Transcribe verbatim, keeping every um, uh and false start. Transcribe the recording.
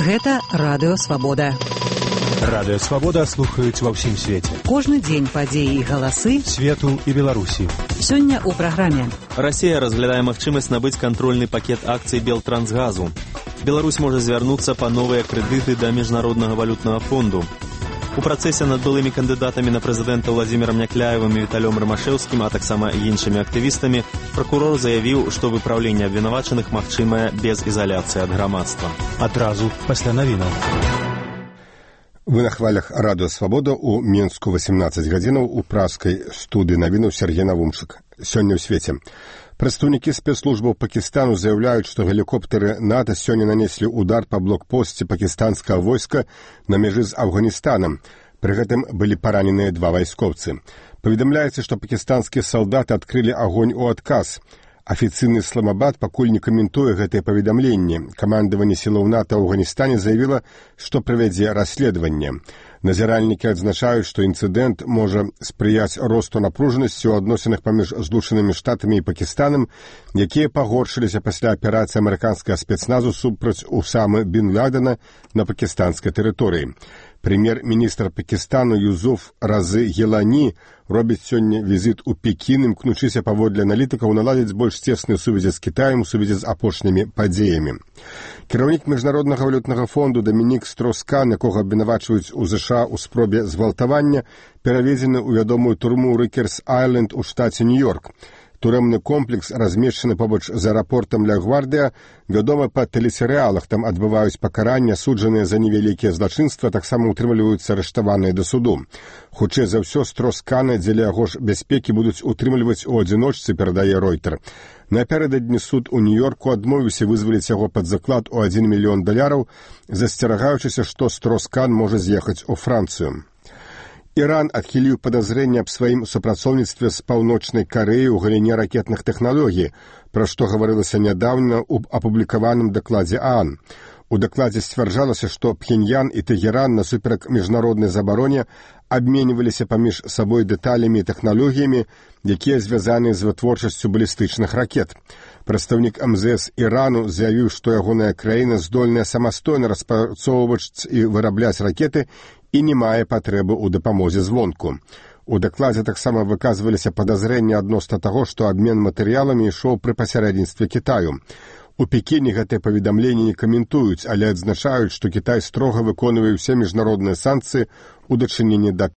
Гэта Радыё Свабода. Радыё Свабода слухаюць ва ўсім свеце. Кожны дзень падзеі і галасы свету і Беларусі. Сёння ў праграме. Расія разглядае магчымасць набыць кантрольны пакет акцый Белтрансгазу. Беларусь можа звярнуцца па новыя крэдыты да Міжнароднага валютнага фонду. У працэсе над былымі кандыдатамі на прэзідэнта Владзімірам Някляевым і Віталём Рымашэўскім, а таксама іншымі актывістамі, пракурор заявіў, што выпраўленне абвінавачаных магчымае без ізаляцыі ад грамадства. Адразу пасля навінаў. Вы на хвалях Радыё Свабода ў Мінску васемнаццаць гадзінаў у праскай студыі навінаў Сергей Навумчык. Сёння ў свеце. Прадстаўнікі спецслужбаў Пакістану заяўляюць, што гелікоптэры НАТО сёння нанеслі удар па блокпосце пакістанскага войска на мяжы з Афганістанам. Пры гэтым былі параненыя два вайскоўцы. Паведамляецца, што пакістанскія салдаты адкрылі агонь у адказ. Афіцыйны Ісламабад пакуль не каментуе гэтае паведамленне. Камандаванне сілаў НАТО ў Афганістане заявіла, што правядзе расследаванне. Назіральнікі адзначаюць, што інцыдэнт можа спрыяць росту напружанасці ў адносінах паміж Злучанымі Штатамі і Пакістанам, якія пагоршыліся пасля аперацыі амерыканскага спецназу супраць Усамы бін Ладена на пакістанскай тэрыторыі. Прэм'ер-міністр Пакістану Юзуф Разы Гелані робіць сёння візіт у Пекін, імкнучыся паводле аналітыкаў наладзіць больш цесныя сувязі з Кітаем у сувязі з апошнімі падзеямі. Кіраўнік Міжнароднага валютнага фонду Дамінік Строскан, якога абвінавачваюць у ЗША ў спробе згвалтавання, пераведзены ў вядомую турму Рыкерс-Айленд у штаце Нью-Йорк. Турэмны комплекс размешчаны побач з аэрапортам Ля-Гвардыя, вядома па тэлесерыялах, там адбываюць пакаранне, суджаныя за невялікія злачынства, таксама утрымліваюцца арыштаваныя да суду. Хутчэй за ўсё, Строскана дзеля яго ж бяспекі будуць утрымліваць у адзіночцы, перадае Ройтер. Напярэдадні суд у Нью-Йорку адмовіўся вызваліць яго пад заклад у адзін мільён даляраў, засцерагаючыся, што Строскан можа з'ехаць у Францыю. Іран адхіліў падазрэнне аб сваім супрацоўніцтве з Паўночнай Карэяй у галіне ракетных тэхналогій, пра што гаварылася нядаўна ў апублікаваным дакладзе ААН. У дакладзе сцвярджалася, што Пхеньян і Тэгеран насуперак міжнароднай забароне абменьваліся паміж сабой дэталямі і тэхналогіямі, якія звязаны з вытворчасцю балістычных ракет. Прадстаўнік эм зэ эс Ірану заявіў, што ягоная краіна здольная самастойна распрацоўваць і вырабляць ракеты і не мае патрэбы ў дапамозе звонку. У дакладзе таксама выказваліся падазрэнні адносна таго, што абмен матэрыяламі ішоў пры пасярэдніцтве Кітаю. У Пекіне гэтае паведамленне не каментуюць, але адзначаюць, што Кітай строга выконвае ўсе міжнародныя санкцыі ў дачыненні да